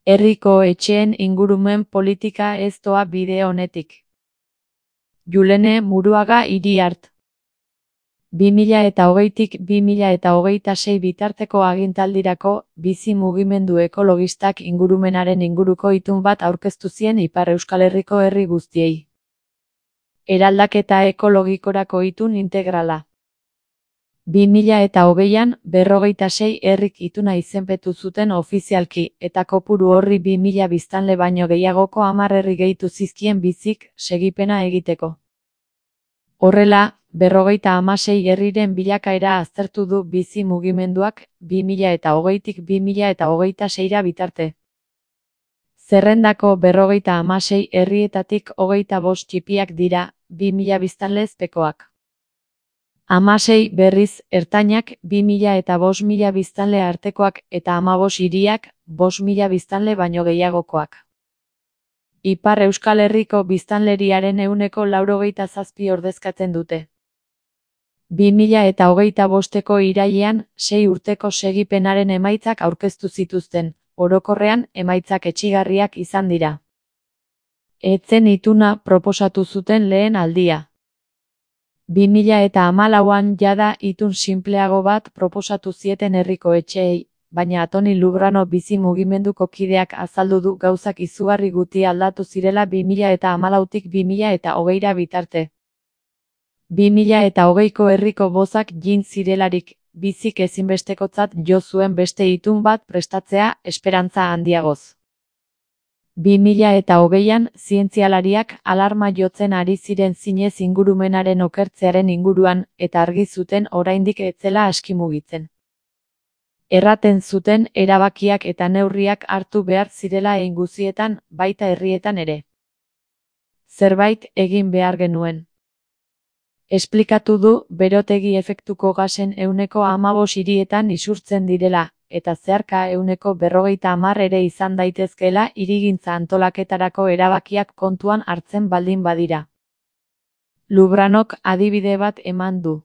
Herriko etxeen ingurumen politika ez doa bide onetik. Julene Muruaga Iriart. 2020tik 2026 bitarteko agintaldirako bizi mugimendu ekologistak ingurumenaren inguruko itun bat aurkeztu zien Ipar Euskal Herriko herri guztiei. Eraldaketa ekologikorako itun integrala. 2020an 46 herrik ituna izenpetu zuten ofizialki eta kopuru horri 2000 biztanle baino gehiagoko 10 herri gehitu zizkien bizik segipena egiteko. Horrela, 56 herriren bilakaera aztertu du bizi mugimenduak 2020tik 2026 bitarte. Zerrendako 56 herrietatik 25 txipiak dira, 2000 biztanlezpekoak. 16 berriz ertainak 2000 eta 5000 biztanle artekoak eta 15 hiriak 5000 biztanle baino gehiagokoak. Ipar Euskal Herriko biztanleriaren 97% ordezkatzen dute. 2025ko irailean 6 urteko segipenaren emaitzak aurkeztu zituzten, orokorrean emaitzak etsigarriak izan dira. Ez zen ituna proposatu zuten lehen aldia. 2014an jada itun sinpleago bat proposatu zieten herriko etxeei, baina Antoni Lubrano bizi mugimenduko kideak azaldu du gauzak izugarri guti aldatu zirela 2014tik 2020ra bitarte. 2020ko herriko bozak jin zirelarik, bizik ezinbestekotzat jo zuen beste itun bat prestatzea esperantza handiagoz. 2020an zientzialariak alarma jotzen ari ziren zinez ingurumenaren okertzearen inguruan eta argi zuten oraindik ez zela aski mugitzen. Erraten zuten erabakiak eta neurriak hartu behar zirela guztietan, baita herrietan ere. Zerbait egin behar genuen. Esplikatu du berotegi efektuko gasen 15 hirietan isurtzen direla, eta zeharka 50 ere izan daitezkeela hirigintza antolaketarako erabakiak kontuan hartzen baldin badira. Lubranok adibide bat eman du.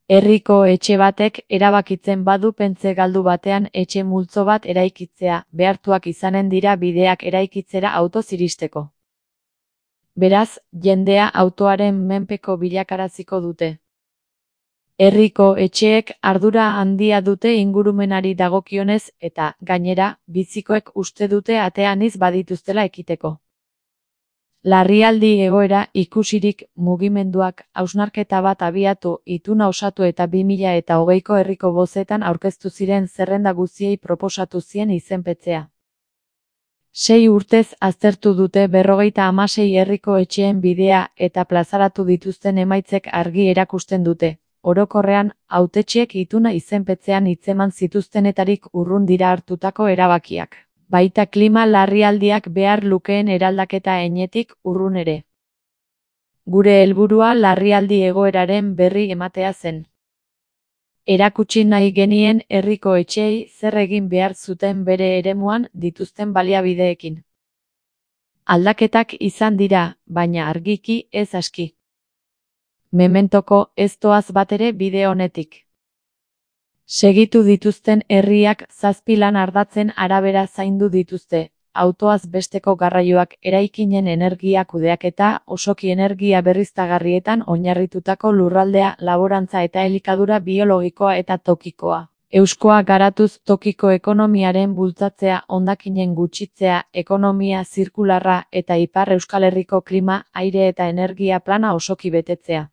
Herriko etxe batek erabakitzen badu pentze galdu batean etxe multzo bat eraikitzea, behartuak izanen dira bideak eraikitzera autoz iristeko. Beraz, jendea autoaren menpeko bilakaraziko dute. Herriko etxeek ardura handia dute ingurumenari dagokionez eta, gainera, bizikoek uste dute ateaniz badituztela ekiteko. Larrialdi egoera ikusirik mugimenduak hausnarketa bat abiatu ituna osatu eta 2020ko herriko bozetan aurkeztu ziren zerrenda guztiei proposatu zien izenpetzea. 6 urtez aztertu dute 56 herriko etxeen bidea eta plazaratu dituzten emaitzek argi erakusten dute. Orokorrean, hautetxeek ituna izenpetzean hitzeman zituztenetarik urrun dira hartutako erabakiak. Baita klima larrialdiak behar lukeen eraldaketa enetik urrun ere. Gure helburua larrialdi egoeraren berri ematea zen. Erakutsi nahi genien herriko etxeei zer egin behar zuten bere eremuan dituzten baliabideekin. Aldaketak izan dira, baina argiki ez aski. Mementoko ez doaz batere bide honetik. Segitu dituzten herriak 7 lan ardatzen arabera zaindu dituzte, autoaz besteko garraioak eraikinen energia kudeaketa, osoki energia berriztagarrietan oinarritutako lurraldea, laborantza eta elikadura biologikoa eta tokikoa. Euskoa garatuz tokiko ekonomiaren bultzatzea, hondakinen gutxitzea, ekonomia zirkularra eta Ipar Euskal Herriko klima, aire eta energia plana osoki betetzea.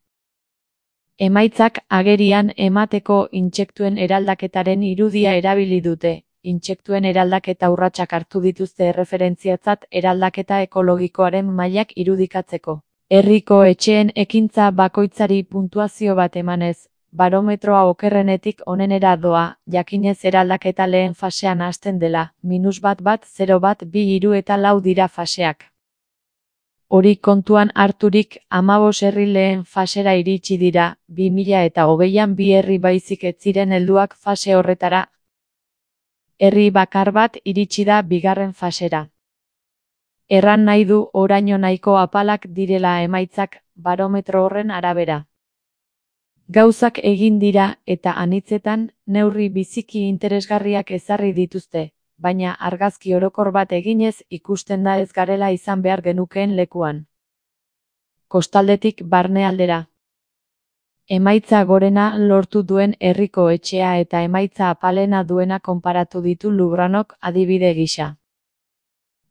Emaitzak agerian emateko intsektuen eraldaketaren irudia erabili dute. Intsektuen eraldaketa urratsak hartu dituzte erreferentziatzat eraldaketa ekologikoaren mailak irudikatzeko. Herriko etxeen ekintza bakoitzari puntuazio bat emanez, barometroa okerrenetik onenera doa, jakinez eraldaketa lehen fasean hasten dela, -1, 0, 1, 2, 3 eta 4 dira faseak. Hori kontuan harturik 15 herri lehen fasera iritsi dira, 2020an 2 herri baizik ez ziren helduak fase horretara. Herri bakar bat iritsi da bigarren fasera. Erran nahi du oraino nahiko apalak direla emaitzak, barometro horren arabera. Gauzak egin dira eta anitzetan neurri biziki interesgarriak ezarri dituzte. baina argazki orokor bat eginez ikusten da ez garela izan behar genukeen lekuan. Kostaldetik barnealdera. Emaitza gorena lortu duen herriko etxea eta emaitza apalena duena konparatu ditu Lubranok adibide gisa.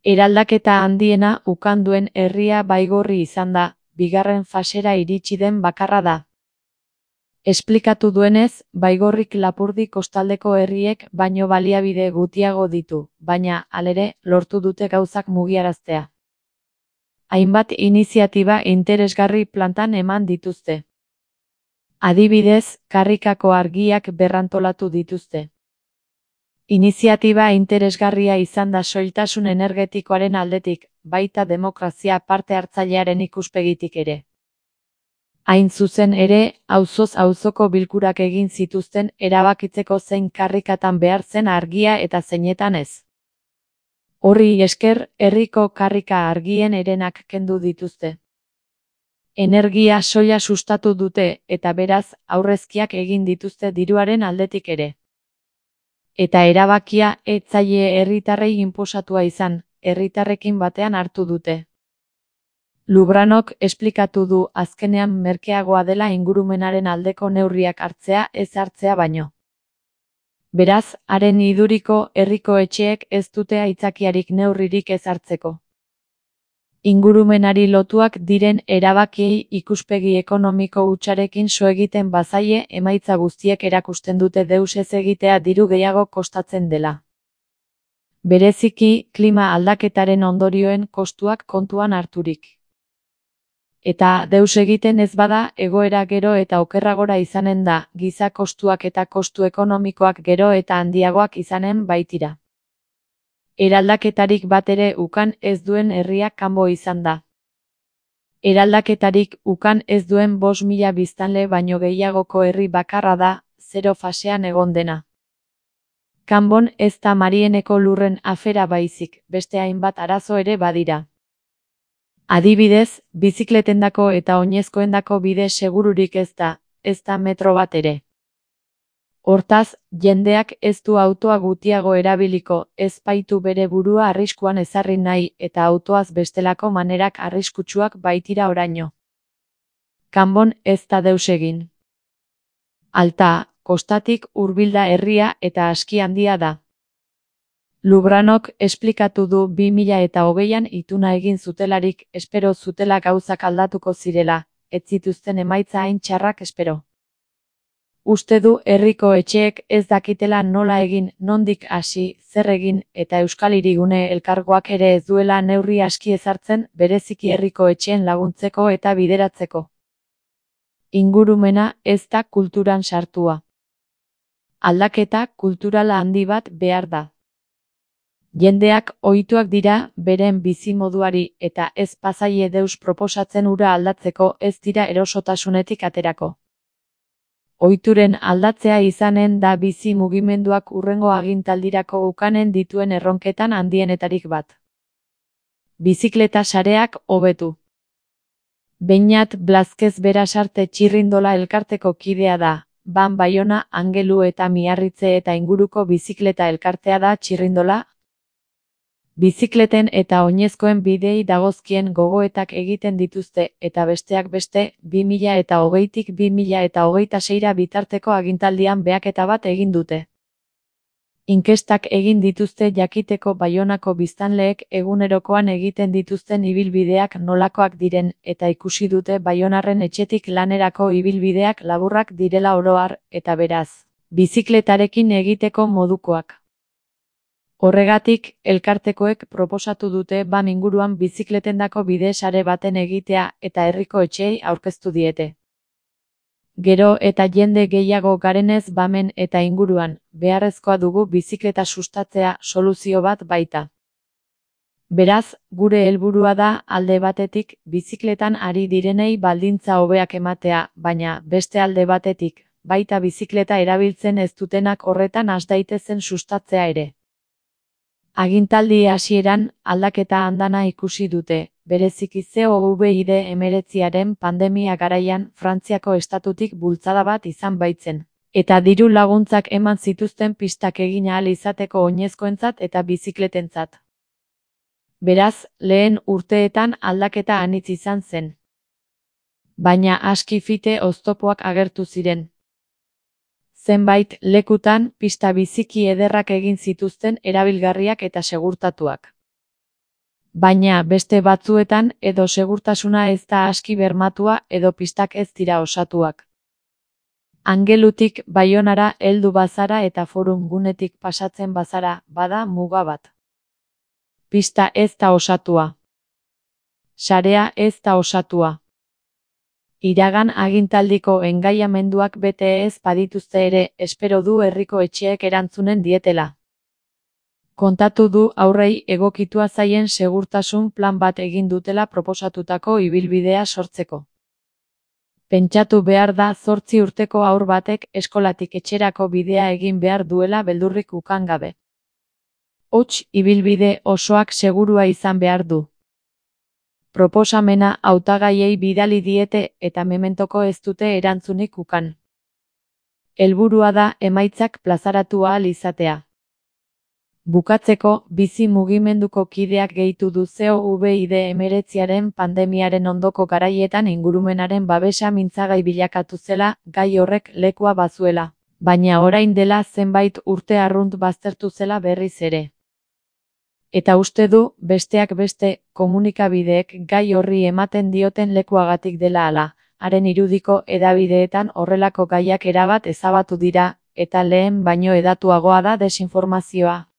Eraldaketa handiena ukan duen herria Baigorri izan da, bigarren fasera iritsi den bakarra da. Esplikatu duenez, Baigorrik Lapurdi kostaldeko herriek baino baliabide gutiago ditu, baina, halere, lortu dute gauzak mugiaraztea. Hainbat iniziatiba interesgarri plantan eman dituzte. Adibidez, karrikako argiak berrantolatu dituzte. Iniziatiba interesgarria izan da soiltasun energetikoaren aldetik, baita demokrazia parte hartzailearen ikuspegitik ere. Hain zuzen ere, auzoz auzoko bilkurak egin zituzten erabakitzeko zein karrikatan behar zen argia eta zeinetan ez. Horri esker, herriko karrika argien herenak kendu dituzte. Energia soila sustatu dute eta beraz aurrezkiak egin dituzte diruaren aldetik ere. Eta erabakia ez zaie herritarrei inposatua izan, herritarrekin batean hartu dute. Lubranok esplikatu du azkenean merkeagoa dela ingurumenaren aldeko neurriak hartzea ez hartzea baino. Beraz, haren iduriko herriko etxeek ez dute aitzakiarik neurririk ez hartzeko. Ingurumenari lotuak diren erabakiei ikuspegi ekonomiko hutsarekin so egiten bazaie emaitza guztiek erakusten dute deus ez egitea diru gehiago kostatzen dela. Bereziki, klima aldaketaren ondorioen kostuak kontuan harturik. Eta deus egiten ez bada egoera gero eta okerragora izanen da, giza kostuak eta kostu ekonomikoak gero eta handiagoak izanen baitira. Eraldaketarik bat ere ukan ez duen herria kanbo izan da. Eraldaketarik ukan ez duen 5.000 biztanle baino gehiagoko herri bakarra da, 0 fasean egon dena. Kanbon ez da Marieneko lurren afera baizik, beste hainbat arazo ere badira. Adibidez, bizikletendako eta oinezkoendako bide segururik ez da metro bat ere. Hortaz, jendeak ez du autoa gutiago erabiliko, ez baitu bere burua arriskuan ezarri nahi eta autoaz bestelako manerak arriskutsuak baitira oraino. Kanbon ez da deus egin. Alta, kostatik hurbilda herria eta aski handia da. Lubranok esplikatu du 2020an ituna egin zutelarik espero zutela gauzak aldatuko zirela, ez zituzten emaitza hain txarrak espero. Uste du herriko etxeek ez dakitela nola egin, nondik hasi, zer egin, eta Euskal Hirigune elkargoak ere ez duela neurri aski ezartzen bereziki herriko etxeen laguntzeko eta bideratzeko. Ingurumena ez da kulturan sartua. Aldaketa kulturala handi bat behar da. Jendeak ohituak dira beren bizimoduari eta ez pasaie deus proposatzen hura aldatzeko ez dira erosotasunetik aterako. Ohituren aldatzea izanen da bizi mugimenduak hurrengo agintaldirako ukanen dituen erronketan handienetarik bat. Bizikleta sareak hobetu. Beñat Blazquez Berasarte Txirrindola elkarteko kidea da, Ban Baiona, Angelu eta Miarritze eta inguruko bizikleta elkartea da Txirrindola. Bizikleten eta oinezkoen bidei dagozkien gogoetak egiten dituzte eta besteak beste 2020tik 2026 bitarteko agintaldian behaketa bat egin dute. Inkestak egin dituzte jakiteko Baionako biztanleek egunerokoan egiten dituzten ibilbideak nolakoak diren eta ikusi dute Baionarren etxetik lanerako ibilbideak laburrak direla oro har eta beraz, bizikletarekin egiteko modukoak. Horregatik, elkartekoek proposatu dute Bam inguruan bizikletendako bide sare baten egitea eta herriko etxeei aurkeztu diete. Gero eta jende gehiago garenez Bamen eta inguruan, beharrezkoa dugu bizikleta sustatzea soluzio bat baita. Beraz, gure helburua da alde batetik bizikletan ari direnei baldintza hobeak ematea, baina beste alde batetik, baita bizikleta erabiltzen ez dutenak horretan has daitezen sustatzea ere. Agintaldi hasieran aldaketa andana ikusi dute, bereziki COVID-19 pandemia garaian Frantziako estatutik bultzada bat izan baitzen. Eta diru laguntzak eman zituzten pistak egin ahal izateko oinezkoentzat eta bizikletentzat. Beraz, lehen urteetan aldaketa anitz izan zen. Baina aski fite oztopoak agertu ziren. Zenbait lekutan pista biziki ederrak egin zituzten erabilgarriak eta segurtatuak. Baina beste batzuetan edo segurtasuna ez da aski bermatua edo pistak ez dira osatuak. Angelutik Baionara heldu bazara eta Forum gunetik pasatzen bazara, bada muga bat. Pista ez da osatua. Sarea ez da osatua. Iragan agintaldiko engaiamenduak bete ez badituzte ere, espero du herriko etxeek erantzunen dietela. Kontatu du aurrei egokitua zaien segurtasun plan bat egin dutela proposatutako ibilbidea sortzeko. Pentsatu behar da 8 urteko haur batek eskolatik etxerako bidea egin behar duela beldurrik ukan gabe. Hots ibilbide osoak segurua izan behar du. Proposamena hautagaiei bidali diete eta mementoko ez dute erantzunik ukan. Helburua da emaitzak plazaratu ahal izatea. Bukatzeko, bizi mugimenduko kideak gehitu du COVID-19 pandemiaren ondoko garaietan ingurumenaren babesa mintzagai bilakatu zela, gai horrek lekua bazuela, baina orain dela zenbait urte arrunt baztertu zela berriz ere. Eta uste du, besteak beste, komunikabideek gai horri ematen dioten lekuagatik dela hala, haren irudiko hedabideetan horrelako gaiak erabat ezabatu dira, eta lehen baino hedatuagoa da desinformazioa.